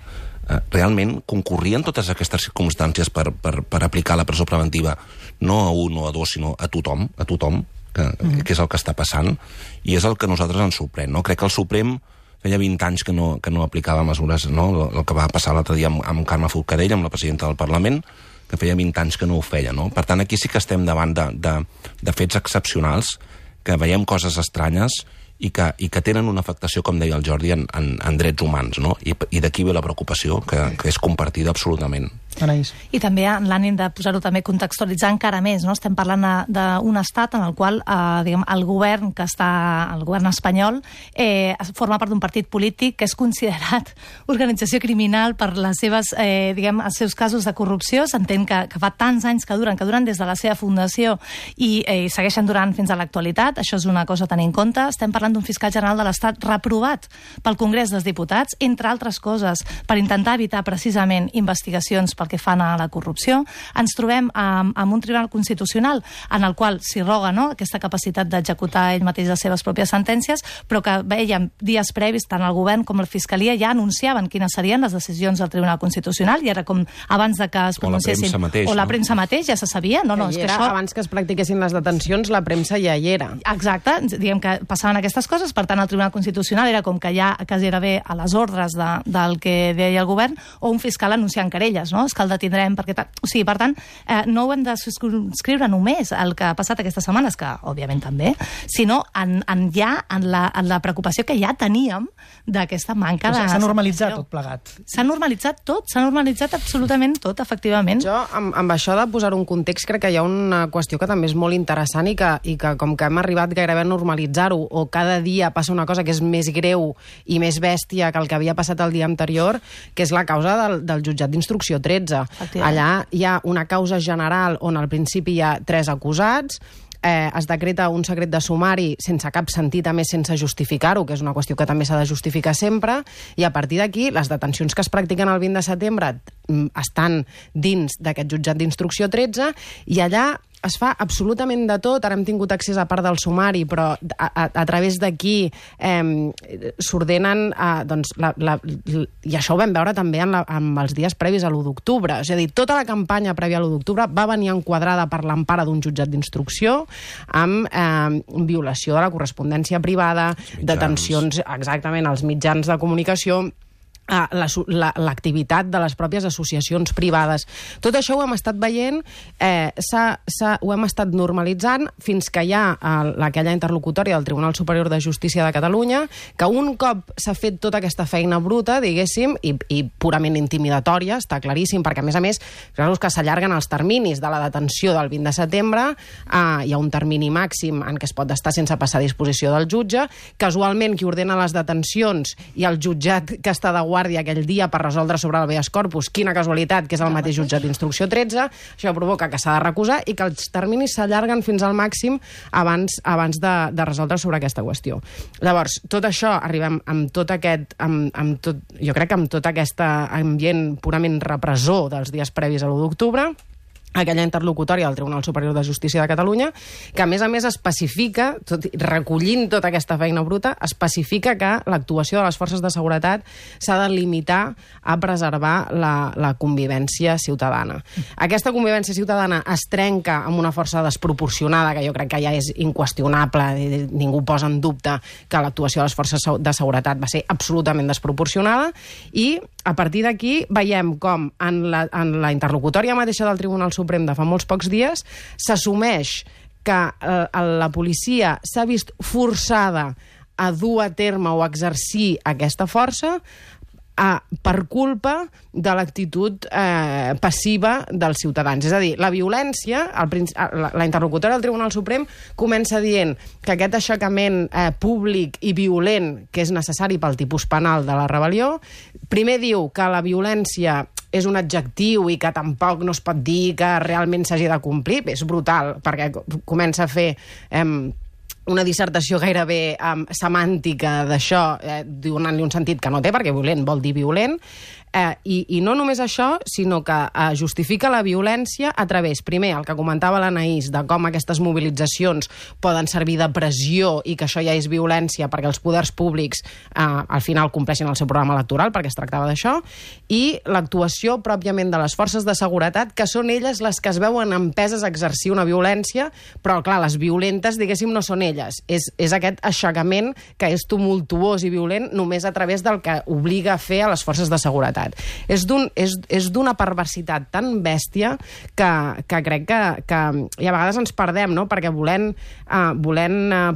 Realment concorrien totes aquestes circumstàncies per aplicar la presó preventiva no a un o a dos, sinó a tothom, que és el que està passant, i és el que a nosaltres ens sorprèn, no? Crec que el Suprem feia 20 anys que no aplicava mesures, no? El que va passar l'altre dia amb Carme Forcadell, amb la presidenta del Parlament, que feia 20 anys que no ho feia, no? Per tant, aquí sí que estem davant de fets excepcionals, que veiem coses estranyes i que tenen una afectació, com deia el Jordi, en drets humans, no? I d'aquí ve la preocupació, que és compartida absolutament. Anaïs. I també en l'ànim de posar-ho també contextualitzar encara més, no? Estem parlant d'un estat en el qual diguem, el govern espanyol forma part d'un partit polític que és considerat organització criminal per les seves, els seus casos de corrupció. S'entén que fa tants anys que duren des de la seva fundació i segueixen durant fins a l'actualitat. Això és una cosa a tenir en compte. Estem parlant d'un fiscal general de l'Estat reprovat pel Congrés dels Diputats, entre altres coses, per intentar evitar precisament investigacions pel que fan a la corrupció. Ens trobem amb un tribunal constitucional en el qual s'hi roga, no?, aquesta capacitat d'executar ell mateix les seves pròpies sentències, però que veiem dies previs, tant el govern com la Fiscalia ja anunciaven quines serien les decisions del Tribunal Constitucional, i era com abans de que es pronunciessin... O la premsa mateix ja se sabia. És que això... Abans que es practiquessin les detencions, la premsa ja hi era. Exacte. Diguem que passaven aquestes coses, per tant, el Tribunal Constitucional era com que ja quasi era bé a les ordres del que deia el govern, o un fiscal anunciant querelles, no?, és que el detindrem perquè... O sigui, per tant, no ho hem de subscriure només el que ha passat aquestes setmanes, que òbviament també, sinó en la preocupació que ja teníem d'aquesta manca de... S'ha normalitzat tot plegat. S'ha normalitzat absolutament tot, efectivament. Jo, amb això de posar un context, crec que hi ha una qüestió que també és molt interessant i que com que hem arribat gairebé a normalitzar-ho, o cada dia passa una cosa que és més greu i més bèstia que el que havia passat el dia anterior, que és la causa del jutjat d'instrucció 13. Allà hi ha una causa general on al principi hi ha 3 acusats, es decreta un secret de sumari sense cap sentit, a més sense justificar-ho, que és una qüestió que també s'ha de justificar sempre, i a partir d'aquí les detencions que es practiquen el 20 de setembre estan dins d'aquest jutjat d'instrucció 13, i allà es fa absolutament de tot. Ara hem tingut accés a part del sumari, però a través d'aquí s'ordenen... I això ho vam veure també amb els dies previs a l'1 d'octubre. És a dir, tota la campanya prèvia a l'1 d'octubre va venir enquadrada per l'empara d'un jutjat d'instrucció amb violació de la correspondència privada, detencions exactament als mitjans de comunicació, l'activitat de les pròpies associacions privades. Tot això ho hem estat veient, ho hem estat normalitzant fins que hi ha aquella interlocutòria del Tribunal Superior de Justícia de Catalunya, que un cop s'ha fet tota aquesta feina bruta, diguéssim, i purament intimidatòria, està claríssim, perquè a més, que s'allarguen els terminis de la detenció del 20 de setembre, hi ha un termini màxim en què es pot estar sense passar a disposició del jutge, casualment qui ordena les detencions i el jutjat que està de guàrdia aquell dia per resoldre sobre l'habeas corpus, quina casualitat, que és el mateix jutjat d'instrucció 13, això provoca que s'ha de recusar i que els terminis s'allarguen fins al màxim abans de resoldre sobre aquesta qüestió. Llavors, tot això, arribem amb tot aquest... jo crec que amb tot aquest ambient purament repressor dels dies previs a l'1 d'octubre, aquella interlocutòria del Tribunal Superior de Justícia de Catalunya, que a més especifica, recollint tota aquesta feina bruta, especifica que l'actuació de les forces de seguretat s'ha de limitar a preservar la convivència ciutadana. Aquesta convivència ciutadana es trenca amb una força desproporcionada, que jo crec que ja és inqüestionable, ningú posa en dubte que l'actuació de les forces de seguretat va ser absolutament desproporcionada, i a partir d'aquí veiem com en la interlocutòria mateixa del Tribunal Suprem de fa molts pocs dies s'assumeix que la policia s'ha vist forçada a dur a terme o a exercir aquesta força per culpa de l'actitud passiva dels ciutadans. És a dir, la violència, la interlocutòria del Tribunal Suprem comença dient que aquest aixecament públic i violent que és necessari pel tipus penal de la rebel·lió, primer diu que la violència és un adjectiu i que tampoc no es pot dir que realment s'hagi de complir. És brutal, perquè comença a fer una dissertació gairebé semàntica d'això, donant-li un sentit que no té, perquè violent vol dir violent, i no només això, sinó que justifica la violència a través, primer, el que comentava l'Anaïs, de com aquestes mobilitzacions poden servir de pressió i que això ja és violència perquè els poders públics al final compleixin el seu programa electoral, perquè es tractava d'això, i l'actuació pròpiament de les forces de seguretat, que són elles les que es veuen empeses a exercir una violència, però clar, les violentes, diguéssim, no són elles. És aquest aixecament que és tumultuós i violent només a través del que obliga a fer a les forces de seguretat. És d'una perversitat tan bèstia que crec que i a vegades ens perdem, no? Perquè volent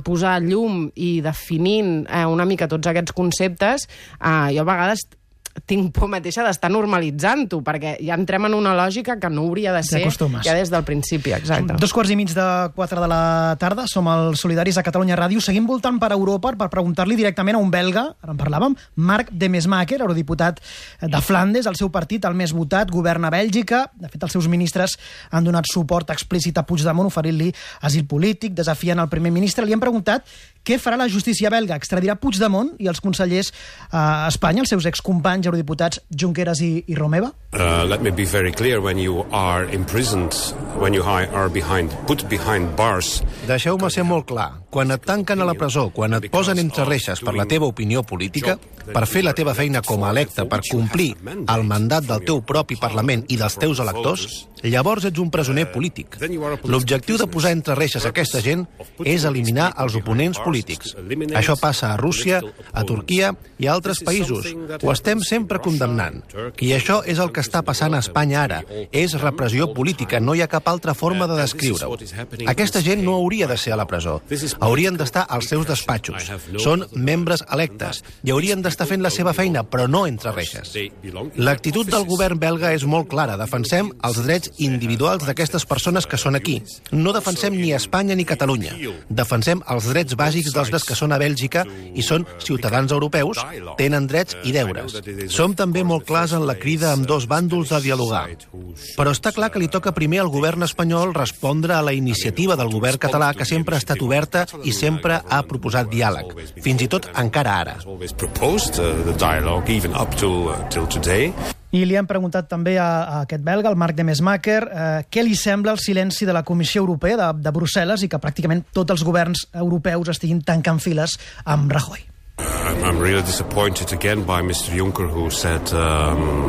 posar llum i definint una mica tots aquests conceptes, jo a vegades tinc por mateixa d'estar normalitzant-ho, perquè ja entrem en una lògica que no hauria de ser ja des del principi. Exacte. 3:45 de la tarda, som els Solidaris a Catalunya Ràdio, seguim voltant per Europa per preguntar-li directament a un belga, ara en parlàvem, Marc Demesmaeker, eurodiputat de Flandes, el seu partit, el més votat, governa a Bèlgica. De fet, els seus ministres han donat suport explícit a Puigdemont, oferint-li asil polític, desafiant el primer ministre. Li han preguntat què farà la justícia belga, extradirà Puigdemont i els consellers a Espanya, els seus excompanys eurodiputats Junqueras i Romeva? Let me be very clear, when you are imprisoned, when you are put behind bars... Deixeu-me ser molt clar. Quan et tanquen a la presó, quan et posen entre reixes per la teva opinió política, per fer la teva feina com a electe, per complir el mandat del teu propi Parlament i dels teus electors, llavors ets un presoner polític. L'objectiu de posar entre reixes aquesta gent és eliminar els oponents polítics. Això passa a Rússia, a Turquia i a altres països. Ho estem sempre condemnant. I això és el que està passant a Espanya ara. És repressió política, no hi ha cap altra forma de descriure-ho. Aquesta gent no hauria de ser a la presó. Haurien d'estar als seus despatxos. Són membres electes i haurien d'estar fent la seva feina, però no entre reixes. L'actitud del govern belga és molt clara. Defensem els drets individuals d'aquestes persones que són aquí. No defensem ni Espanya ni Catalunya. Defensem els drets bàsics dels que són a Bèlgica i són ciutadans europeus, tenen drets i deures. Som també molt clars en la crida amb dos bàndols a dialogar. Però està clar que li toca primer al govern espanyol respondre a la iniciativa del govern català, que sempre ha estat oberta i sempre ha proposat diàleg, fins i tot encara ara. I li hem preguntat també a aquest belga, el Marc Demesmaeker, què li sembla el silenci de la Comissió Europea de Brussel·les i que pràcticament tots els governs europeus estiguin tancant files amb Rajoy. I'm really disappointed again by Mr. Juncker, who said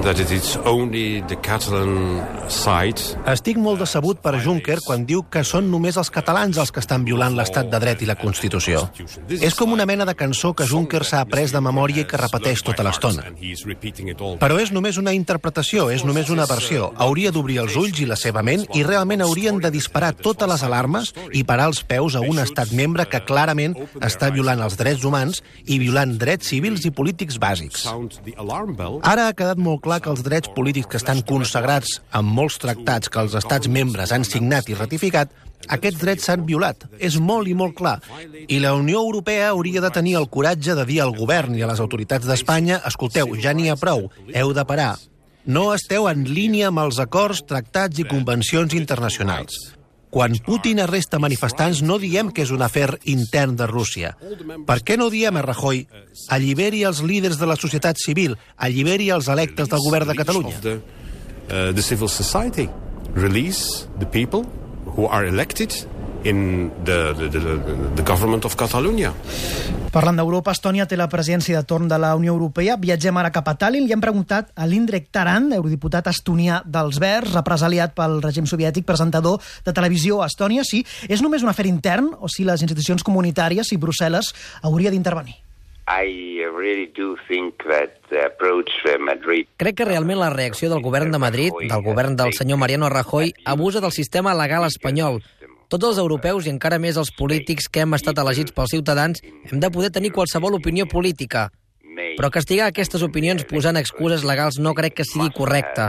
that it is only the Catalan side. Estic molt decebut per Juncker quan diu que són només els catalans els que estan violant l'estat de dret i la Constitució. És com una mena de cançó que Juncker s'ha après de memòria i que repeteix tota l'estona. Però és només una interpretació, és només una versió. Hauria d'obrir els ulls i la seva ment i realment haurien de disparar totes les alarmes i parar els peus a un estat membre que clarament està violant els drets humans i violant drets civils i polítics bàsics. Ara ha quedat molt clar que els drets polítics que estan consagrats en molts tractats que els estats membres han signat i ratificat, aquests drets s'han violat. És molt i molt clar. I la Unió Europea hauria de tenir el coratge de dir al govern i a les autoritats d'Espanya: escolteu, ja n'hi ha prou, heu de parar. No esteu en línia amb els acords, tractats i convencions internacionals. Quan Putin arresta manifestants no diem que és un afer intern de Rússia. Per què no diem a Rajoy: alliberi els líders de la societat civil, alliberi els electes del govern de Catalunya? release the people who are elected in the government of Catalonia. Parlant d'Europa, Estònia té la presidència de torn de la Unió Europea. Viatgem ara cap a Tallinn i hem preguntat a l'Indrek Tarand, eurodiputat estonià dels Verds, represaliat pel règim soviètic, presentador de televisió a Estònia, si és només un afer intern o si les institucions comunitàries, si Brussel·les hauria d'intervenir. Crec que realment la reacció del govern de Madrid, del govern del senyor Mariano Rajoy, abusa del sistema legal espanyol. Tots els europeus i encara més els polítics que hem estat elegits pels ciutadans hem de poder tenir qualsevol opinió política. Però castigar aquestes opinions posant excuses legals no crec que sigui correcte.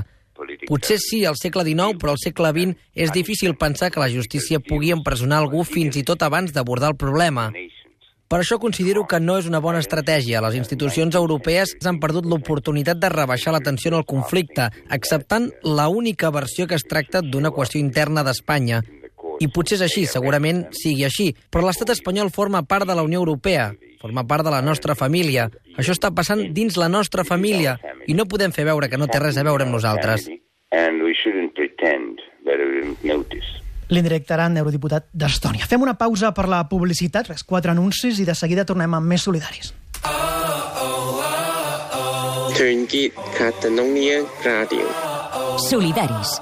Potser sí al segle XIX, però al segle XX és difícil pensar que la justícia pugui empresonar algú fins i tot abans d'abordar el problema. Per això considero que no és una bona estratègia. Les institucions europees han perdut l'oportunitat de rebaixar la tensió en el conflicte, acceptant l'única versió que es tracta d'una qüestió interna d'Espanya. I potser és així, segurament sigui així, però l'estat espanyol forma part de la Unió Europea, forma part de la nostra família. Això està passant dins la nostra família i no podem fer veure que no té res a veure amb nosaltres. L'Indrek Tarand, eurodiputat d'Estònia. Fem una pausa per la publicitat, 4 anuncis, i de seguida tornem amb més solidaris. Solidaris.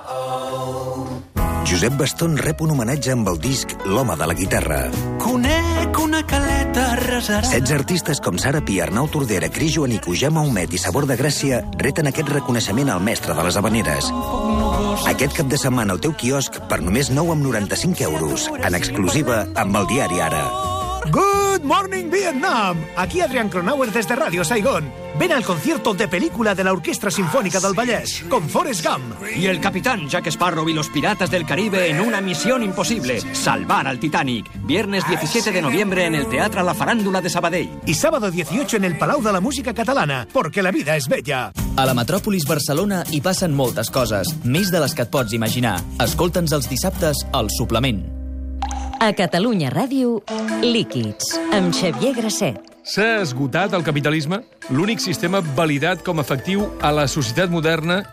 Josep Baston rep un homenatge amb el disc L'home de la guitarra. Conec una caleta resarada. 16 artistes com Sara Pi, Arnau Tordera, Cris Joanico, Jaume Humet i Sabor de Gràcia reten aquest reconeixement al mestre de les habaneres. Aquest cap de setmana al teu quiosc per només 9,95 €, en exclusiva amb el diari Ara. Good morning, Vietnam! Aquí Adrián Cronauer desde Radio Saigón. Ven al concierto de película de la Orquestra Sinfónica del Vallès, con Forrest Gump. Y el capitán Jack Sparrow y los piratas del Caribe en una misión imposible, salvar al Titanic. Viernes 17 de noviembre en el Teatre La Farándula de Sabadell. Y sábado 18 en el Palau de la Música Catalana, porque la vida és bella. A la Metròpolis Barcelona hi passen moltes coses, més de les que et pots imaginar. Escolta'ns els dissabtes al Suplement. A Catalunya Ràdio, Líquids, amb Xavier Grasset. S'ha esgotat el capitalisme, l'únic sistema validat com a efectiu a la societat moderna,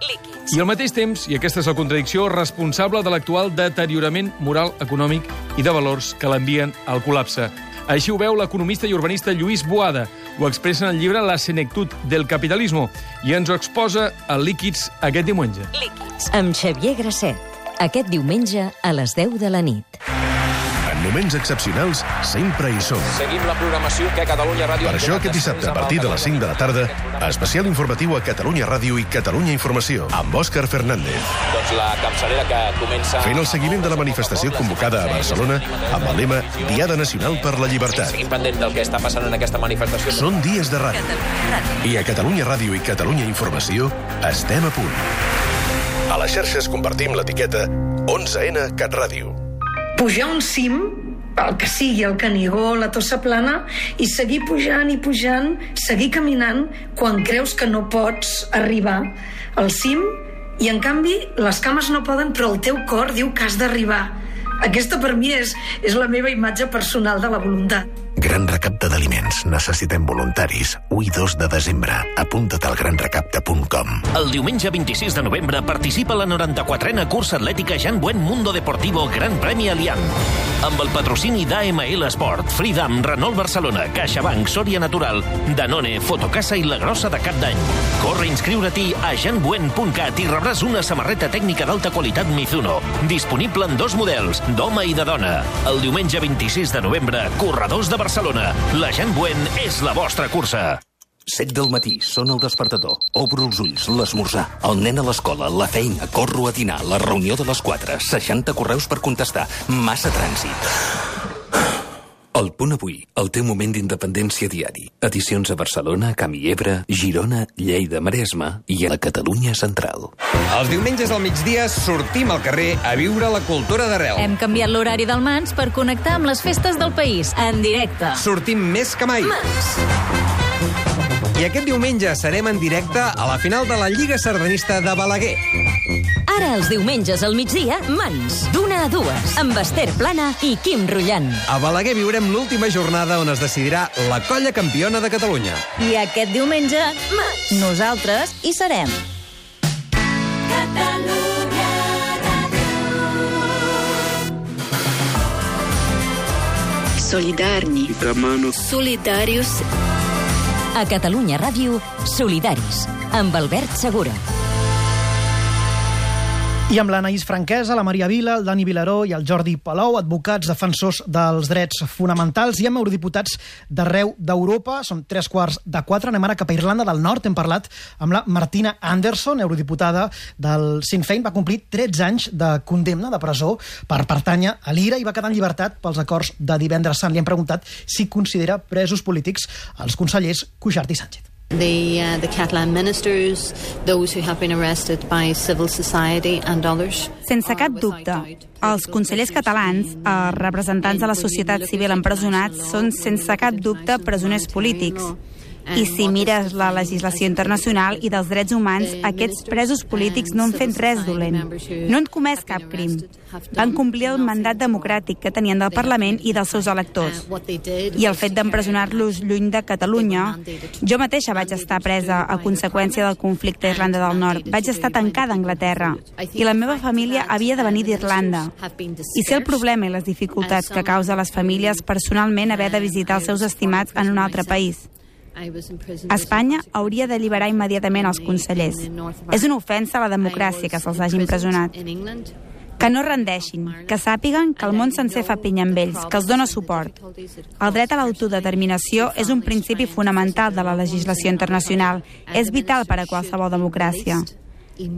i al mateix temps, i aquesta és la contradicció, responsable de l'actual deteriorament moral, econòmic i de valors que l'envien al col·lapse. Així ho veu l'economista i urbanista Lluís Boada. Ho expressa en el llibre La senectud del capitalismo i ens ho exposa a Líquids aquest diumenge. Líquids, amb Xavier Grasset. Aquest diumenge a les 10 de la nit. En moments excepcionals, sempre hi som. Seguim la programació que a Catalunya Ràdio... Per això, aquest dissabte, a partir de les 5 de la tarda, especial informatiu a Catalunya Ràdio i Catalunya Informació, amb Òscar Fernández. Doncs la capçalera que comença... Fent el seguiment de la manifestació convocada a Barcelona amb el lema Diada Nacional per la Llibertat. Seguim pendent del que està passant en aquesta manifestació. Són dies de ràdio. I a Catalunya Ràdio i Catalunya Informació estem a punt. A les xarxes compartim l'etiqueta 11N CatRàdio. Pujar un cim, el que sigui, el Canigó, la Tossa Plana, i seguir pujant i pujant, seguir caminant quan creus que no pots arribar al cim, i en canvi les cames no poden, però el teu cor diu que has d'arribar. Aquesta per mi és la meva imatge personal de la voluntat. Gran recapte d'aliments. Necessitem voluntaris. 1 i 2 de desembre. Apunta't al granrecapte.com. El diumenge 26 de novembre participa a la 94a cursa atlètica Jan Buen Mundo Deportivo Gran Premi Allianz. Amb el patrocini d'AML Esport, Freedom, Renault Barcelona, CaixaBank, Sòria Natural, Danone, Fotocasa i La Grossa de Cap d'Any. Corre a inscriure-t'hi a janbuen.cat i rebràs una samarreta tècnica d'alta qualitat Mizuno, disponible en 2 models, d'home i de dona. El diumenge 26 de novembre, corredors de Barcelona. La Jan Buen és la vostra cursa. 7 del matí, sona el despertador. Obro els ulls, l'esmorzar. El nen a l'escola, la feina, corro a dinar, la reunió de les 4, 60 correus per contestar, massa trànsit. El Punt Avui, el teu moment d'independència diari. Edicions a Barcelona, Camp i Ebre, Girona, Lleida, Maresme i a la Catalunya Central. Els diumenges al migdia sortim al carrer a viure la cultura d'arrel. Hem canviat l'horari del Mans per connectar amb les festes del país, en directe. Sortim més que mai. Mans. I aquest diumenge serem en directe a la final de la Lliga Sardanista de Balaguer. Ara els diumenges al migdia, Mans, d'1 a 2, amb Esther Plana i Quim Rullant. A Balaguer viurem l'última jornada on es decidirà la colla campiona de Catalunya. I aquest diumenge, Mans, nosaltres hi serem. Catalunya Ràdio. Solidarni. Solidarius. A Catalunya Ràdio, Solidaris, amb Albert Segura. I amb l'Anaïs Franquesa, la Maria Vila, el Dani Vilaró i el Jordi Palou, advocats defensors dels drets fonamentals, i amb eurodiputats d'arreu d'Europa. Són 3:15. Anem ara cap a Irlanda del Nord. Hem parlat amb la Martina Anderson, eurodiputada del Sinn Féin. Va complir 13 anys de condemna de presó per pertànyer a l'IRA i va quedar en llibertat pels acords de Divendres Sant. Li hem preguntat si considera presos polítics els consellers Cuixart i Sánchez. The Catalan ministers, those who have been arrested by civil society and others. Sense cap dubte, els consellers catalans, els representants de la societat civil empresonats, són sense cap dubte presoners polítics. I si mires la legislació internacional i dels drets humans, aquests presos polítics no han fet res dolent. No han comès cap crim. Van complir el mandat democràtic que tenien del Parlament i dels seus electors. I el fet d'empresonar-los lluny de Catalunya... Jo mateixa vaig estar presa a conseqüència del conflicte a Irlanda del Nord. Vaig estar tancada a Anglaterra. I la meva família havia de venir d'Irlanda. I sé el problema i les dificultats que causa a les famílies personalment haver de visitar els seus estimats en un altre país. Espanya hauria d'alliberar immediatament els consellers. És una ofensa a la democràcia que se'ls hagi empresonat. Que no rendeixin, que sàpiguen que el món sencer fa pinya amb ells, que els dona suport. El dret a l'autodeterminació és un principi fonamental de la legislació internacional. És vital per a qualsevol democràcia.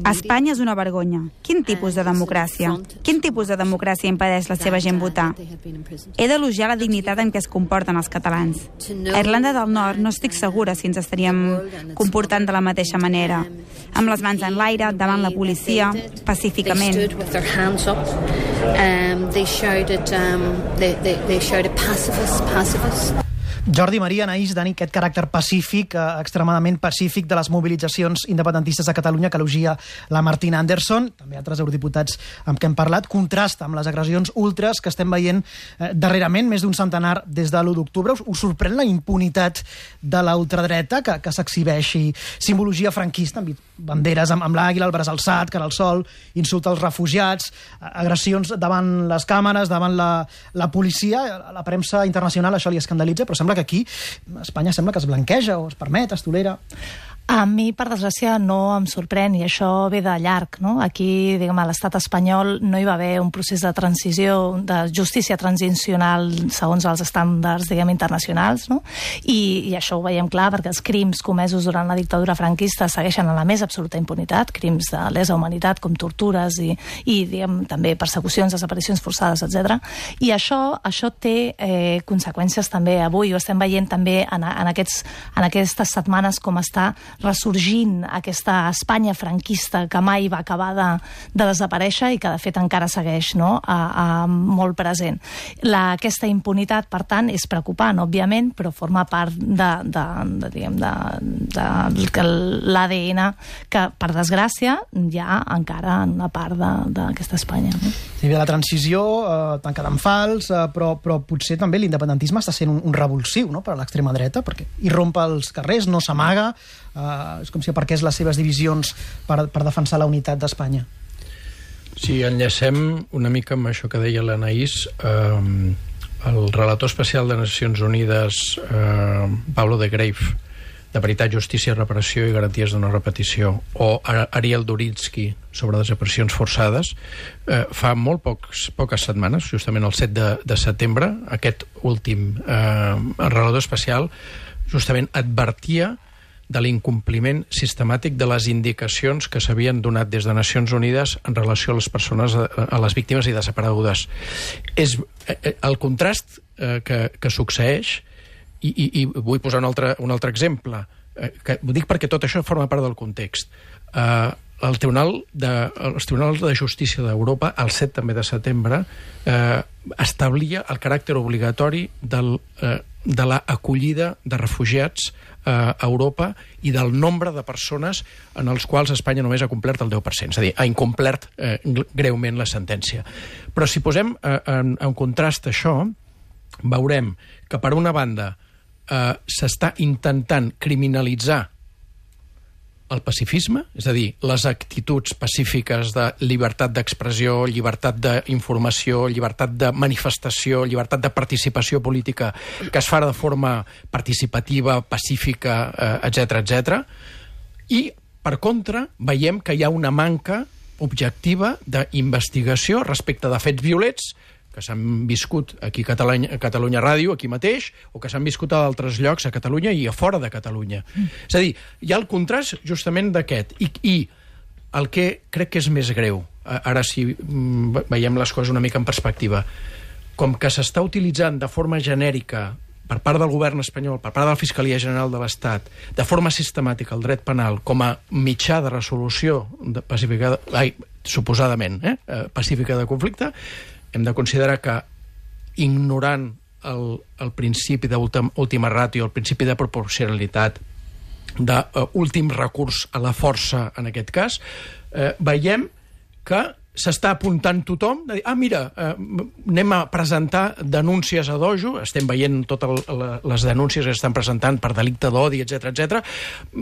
Espanya és una vergonya. Quin tipus de democràcia? Quin tipus de democràcia impedeix la seva gent votar? He d'elogiar la dignitat en què es comporten els catalans. A Irlanda del Nord no estic segura si ens estaríem comportant de la mateixa manera. Amb les mans en l'aire, davant la policia, pacíficament. Jordi, Maria, Anaïs, Dani, aquest caràcter pacífic, extremadament pacífic de les mobilitzacions independentistes a Catalunya que elogia la Martina Anderson, també altres eurodiputats amb què hem parlat, contrasta amb les agressions ultres que estem veient darrerament, més d'un centenar des de l'1 d'octubre. Us sorprèn la impunitat de la ultradreta que s'exhibeixi? Simbologia franquista, amb banderes amb l'àguila, el braç alçat, cara al sol, insulta als refugiats, agressions davant les càmeres, davant la policia. A la premsa internacional això li escandalitza, però sembla que aquí Espanya sembla que es blanqueja o es permet, es tolera. A mi, per desgràcia, no em sorprèn, i això ve de llarg, no? Aquí, diguem, a l'estat espanyol no hi va haver un procés de transició, de justícia transicional segons els estàndards, diguem, internacionals, no? I això ho veiem clar perquè els crims comesos durant la dictadura franquista segueixen a la més absoluta impunitat, crims de lesa humanitat com tortures i diguem, també persecucions, desaparicions forçades, etc. I això té conseqüències també avui. Ho estem veient també en aquestes setmanes com està ressorgint aquesta Espanya franquista que mai va acabar de desaparèixer i que de fet encara segueix, no? Molt present. Aquesta impunitat, per tant, és preocupant, òbviament, però forma part de l'ADN que, per desgràcia, hi ha encara en una part d'aquesta Espanya. No? Sí, la transició tancada en fals, però potser també l'independentisme està sent un revulsiu, no?, per a l'extrema dreta, perquè irrompa als carrers, no s'amaga, és com si aparqués les seves divisions per defensar la unitat d'Espanya. Sí, enllacem una mica amb això que deia l'Anaïs. El relator especial de Nacions Unides, Pablo de Greiff, de Veritat, Justícia, Reparació i Garanties de no repetició, o Ariel Duritzky, sobre desaparicions forçades, fa molt poques setmanes, justament el 7 de setembre, aquest últim relator especial justament advertia de l'incompliment sistemàtic de les indicacions que s'havien donat des de Nacions Unides en relació a les persones, a les víctimes i desaparegudes. És el contrast que succeeix, i vull posar un altre exemple, que ho dic perquè tot això forma part del context. Els tribunals de justícia d'Europa, el 7 també de setembre, establia el caràcter obligatori de l'acollida de refugiats a Europa i del nombre de persones en els quals Espanya només ha complert el 10%, és a dir, ha incomplert greument la sentència. Però si posem en contrast això, veurem que per una banda s'està intentant criminalitzar el pacifisme, és a dir, les actituds pacífiques de llibertat d'expressió, llibertat d'informació, llibertat de manifestació, llibertat de participació política, que es fa de forma participativa, pacífica, etc. I, per contra, veiem que hi ha una manca objectiva d'investigació respecte de fets violents que s'han viscut aquí a Catalunya Ràdio, aquí mateix, o que s'han viscut a d'altres llocs a Catalunya i a fora de Catalunya. És a dir, hi ha el contrast justament d'aquest. I el que crec que és més greu, ara si veiem les coses una mica en perspectiva, com que s'està utilitzant de forma genèrica per part del govern espanyol, per part de la Fiscalia General de l'Estat, de forma sistemàtica el dret penal com a mitjà de resolució suposadament pacífica de conflicte, hem de considerar que, ignorant el principi d'última ràtio, el principi de proporcionalitat, d'últim recurs a la força, en aquest cas, veiem que s'està apuntant tothom, de dir, mira, anem a presentar denúncies a dojo, estem veient totes les denúncies que estan presentant per delicte d'odi, etc.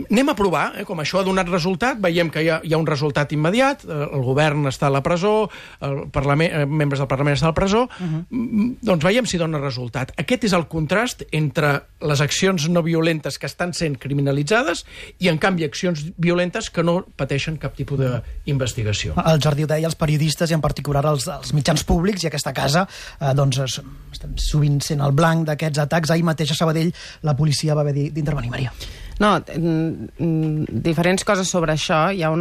Anem a provar, com això ha donat resultat, veiem que hi ha un resultat immediat, el govern està a la presó, membres del Parlament estan a la presó, doncs veiem si dona resultat. Aquest és el contrast entre les accions no violentes que estan sent criminalitzades i, en canvi, accions violentes que no pateixen cap tipus d'investigació. El Jordi ho deia, els periodistes i en particular els mitjans públics, i aquesta casa estem sovint sent el blanc d'aquests atacs. Ahir mateix a Sabadell la policia va haver d'intervenir. Maria. No, diferents coses sobre això. Jo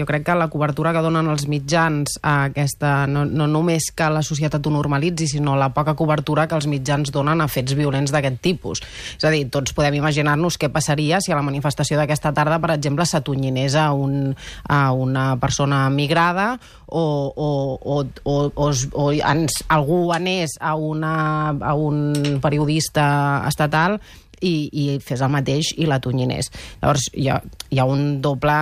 crec que la cobertura que donen els mitjans a aquesta, no només que la societat ho normalitzi, sinó la poca cobertura que els mitjans donen a fets violents d'aquest tipus. És a dir, tots podem imaginar-nos què passaria si a la manifestació d'aquesta tarda, per exemple, s'atonyinés a una persona migrada o algú anés a un periodista estatal i fes el mateix i l'atonyinés. Llavors, hi ha un doble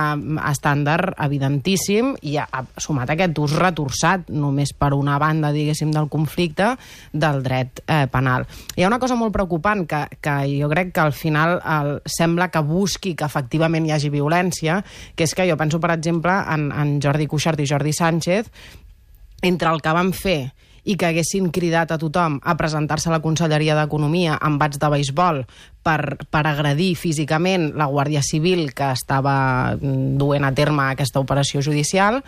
estàndard evidentíssim i sumat a aquest ús retorçat només per una banda, diguéssim, del conflicte del dret penal. Hi ha una cosa molt preocupant que jo crec que al final sembla que busqui que efectivament hi hagi violència, que és que jo penso, per exemple, en Jordi Cuixart i Jordi Sánchez, entre el que van fer i que haguessin cridat a tothom a presentar-se a la Conselleria d'Economia amb bats de beisbol per agredir físicament la Guàrdia Civil que estava duent a terme aquesta operació judicial,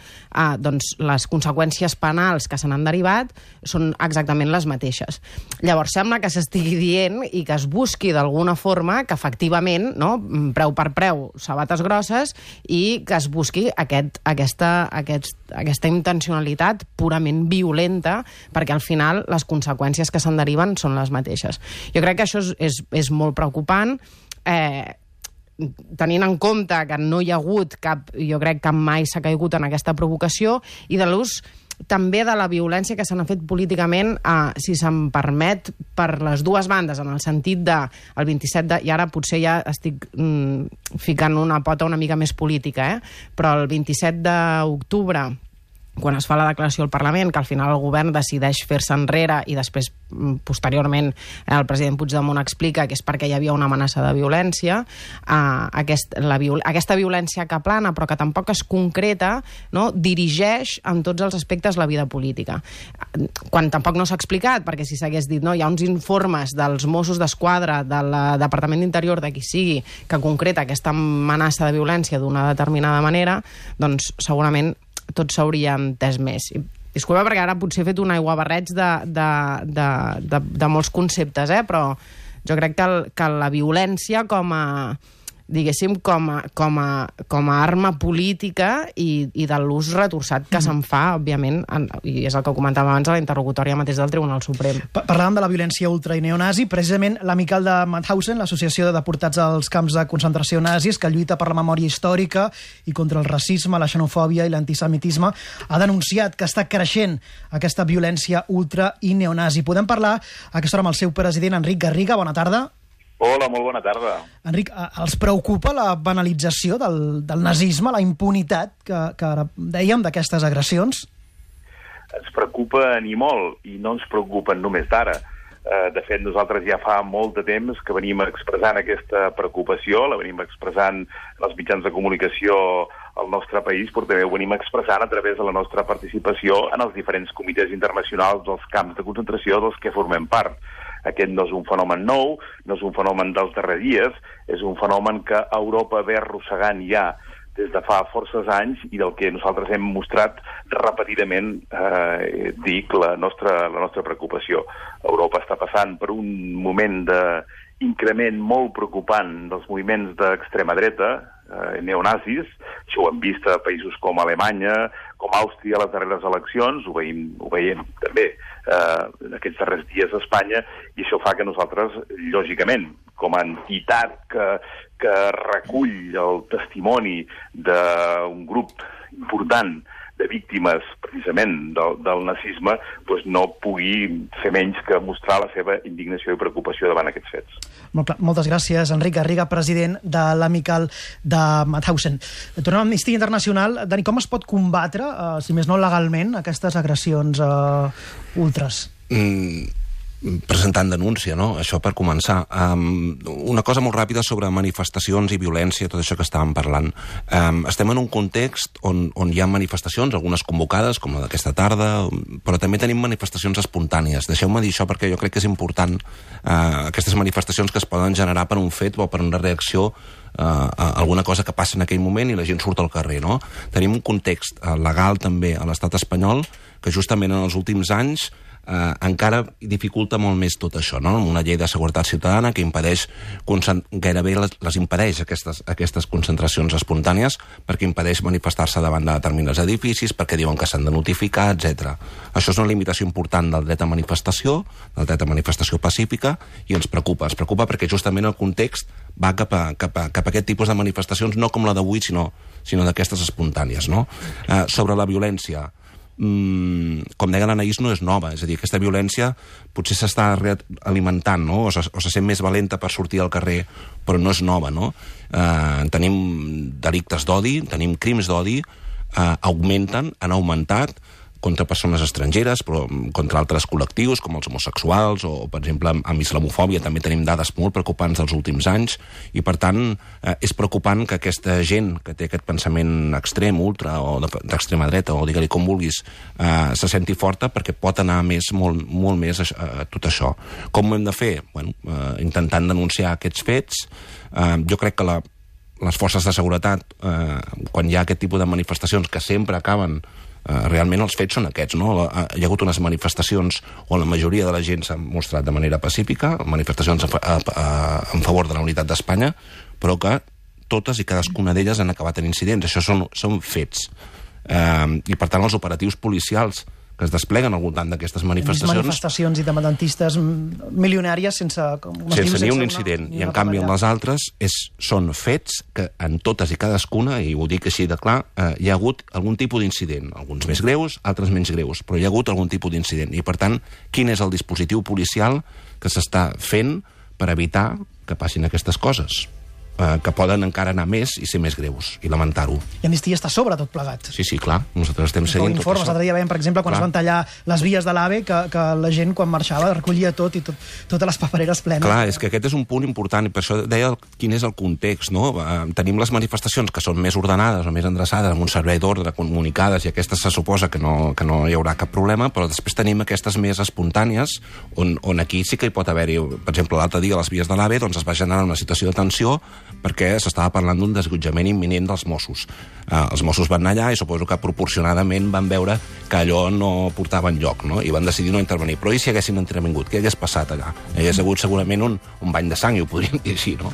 doncs les conseqüències penals que se n'han derivat són exactament les mateixes. Llavors sembla que s'estigui dient i que es busqui d'alguna forma que efectivament, no, preu per preu, sabates grosses, i que es busqui aquesta intencionalitat purament violenta, perquè al final les conseqüències que se'n deriven són les mateixes. Jo crec que això és molt preocupant, tenint en compte que no hi ha hagut jo crec que mai s'ha caigut en aquesta provocació, i de l'ús també de la violència que se n'ha fet políticament, si se'm permet, per les dues bandes, en el sentit de el 27 i ara potser ja estic ficant una pota una mica més política, però el 27 d'octubre, quan es fa la declaració al Parlament, que al final el govern decideix fer-se enrere i després, posteriorment, el president Puigdemont explica que és perquè hi havia una amenaça de violència, aquesta violència que plana, però que tampoc es concreta, no, dirigeix en tots els aspectes la vida política. Quan tampoc no s'ha explicat, perquè si s'hagués dit, no, hi ha uns informes dels Mossos d'Esquadra, del Departament d'Interior, de qui sigui, que concreta aquesta amenaça de violència d'una determinada manera, doncs segurament tot s'hauria entès més. Disculpa, perquè ara potser he fet un aiguabarreig de molts conceptes, però jo crec que la violència com a, diguéssim, com a arma política i de l'ús retorçat que se'n fa, òbviament, i és el que comentàvem abans a la interlocutòria mateix del Tribunal Suprem. Parlàvem de la violència ultra i neonazi. Precisament l'amical de Mauthausen, l'associació de deportats als camps de concentració nazis, que lluita per la memòria històrica i contra el racisme, la xenofòbia i l'antisemitisme, ha denunciat que està creixent aquesta violència ultra i neonazi. Podem parlar a aquesta hora amb el seu president, Enric Garriga. Bona tarda. Hola, molt bona tarda. Enric, els preocupa la banalització del nazisme, la impunitat que ara dèiem d'aquestes agressions? Ens preocupa ni molt, i no ens preocupen només d'ara. De fet, nosaltres ja fa molt de temps que venim expressant aquesta preocupació, la venim expressant els mitjans de comunicació al nostre país, però també ho venim expressant a través de la nostra participació en els diferents comitès internacionals dels camps de concentració dels que formem part. Aquest no és un fenomen nou, no és un fenomen dels darrers dies, és un fenomen que Europa ve arrossegant ja des de fa forces anys i del que nosaltres hem mostrat repetidament, dic, la nostra preocupació. Europa està passant per un moment d'increment molt preocupant dels moviments d'extrema dreta, neonazis. Això ho hem vist a països com Alemanya, com Àustria a les darreres eleccions, ho veiem també aquests darrers dies a Espanya, i això fa que nosaltres, lògicament, com a entitat que recull el testimoni d'un grup important de víctimes, precisament, del nazisme, doncs no pugui fer menys que mostrar la seva indignació i preocupació davant aquests fets. Moltes gràcies, Enric Garriga, president de l'Amical de Mauthausen. Tornem a Amnistia Internacional. Dani, com es pot combatre, si més no legalment, aquestes agressions ultras? Presentant denúncia, no? Això per començar. Una cosa molt ràpida sobre manifestacions i violència, tot això que estàvem parlant. Estem en un context on hi ha manifestacions, algunes convocades, com la d'aquesta tarda, però també tenim manifestacions espontànies. Deixeu-me dir això perquè jo crec que és important aquestes manifestacions que es poden generar per un fet o per una reacció a alguna cosa que passa en aquell moment i la gent surt al carrer, no? Tenim un context legal també a l'estat espanyol que justament en els últims anys encara dificulta molt més tot això, no? Una llei de seguretat ciutadana que impedeix, gairebé les impedeix aquestes concentracions espontànies, perquè impedeix manifestar-se davant de determinats edificis, perquè diuen que s'han de notificar, etc. Això és una limitació important del dret a manifestació, del dret a manifestació pacífica, i ens preocupa. Ens preocupa perquè justament el context va cap a aquest tipus de manifestacions, no com la d'avui, sinó d'aquestes espontànies, no? Sobre la violència, com deia l'Anaïs, no és nova, és a dir, aquesta violència potser s'està alimentant, no? o se sent més valenta per sortir al carrer, però no és nova, no? Tenim delictes d'odi, tenim crims d'odi, han augmentat contra persones estrangeres, però contra altres col·lectius, com els homosexuals, o, per exemple, amb islamofòbia també tenim dades molt preocupants dels últims anys, i, per tant, és preocupant que aquesta gent que té aquest pensament extrem, ultra, o d'extrema dreta, o digue-li com vulguis, se senti forta, perquè pot anar molt més a tot això. Com ho hem de fer? Bueno, intentant denunciar aquests fets. Jo crec que les forces de seguretat, quan hi ha aquest tipus de manifestacions que sempre acaben realment els fets són aquests, no? Hi ha hagut unes manifestacions on la majoria de la gent s'ha mostrat de manera pacífica, manifestacions en favor de la unitat d'Espanya, però que totes i cadascuna d'elles han acabat en incidents. Això són fets. I, per tant, els operatius policials que es despleguen al voltant d'aquestes manifestacions... Manifestacions independentistes milionàries sense ni un incident. I, en canvi, en les altres són fets que en totes i cadascuna, i ho dic així de clar, hi ha hagut algun tipus d'incident. Alguns més greus, altres menys greus, però hi ha hagut algun tipus d'incident. I, per tant, quin és el dispositiu policial que s'està fent per evitar que passin aquestes coses? Que poden encara anar més i ser més greus, i lamentar-ho. I Amnistia està sobre tot plegat. Sí, clar. Nosaltres estem seguint tot això. L'altre dia veiem, per exemple, quan es van tallar les vies de l'AVE, que la gent, quan marxava, recollia tot i totes les papereres plenes. Clar, és que aquest és un punt important, i per això deia quin és el context, no? Tenim les manifestacions que són més ordenades o més endreçades, amb un servei d'ordre, comunicades, i aquestes se suposa que no hi haurà cap problema, però després tenim aquestes més espontànies, on aquí sí que hi pot haver-hi, per exemple, l'altre dia a les vies de l'AVE, doncs es va generar una situació de tensió perquè s'estava parlant d'un desallotjament imminent dels Mossos. Els Mossos van anar allà i suposo que proporcionadament van veure que allò no portava enlloc, no? I van decidir no intervenir. Però i si haguessin intervingut? Què hagués passat allà? Hi hagués hagut segurament un bany de sang, i ho podríem dir així, no?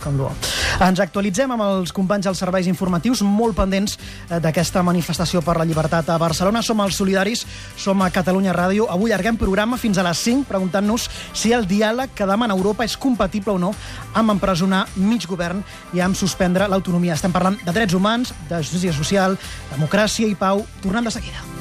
Ens actualitzem amb els companys dels serveis informatius, molt pendents d'aquesta manifestació per la llibertat a Barcelona. Som els solidaris, som a Catalunya Ràdio. Avui allarguem programa fins a les 5, preguntant-nos si el diàleg que demana Europa és compatible o no amb empresonar mig govern i amb suspendre l'autonomia. Estem parlant de drets humans, de justícia social, democràcia i pau. Tornem de seguida.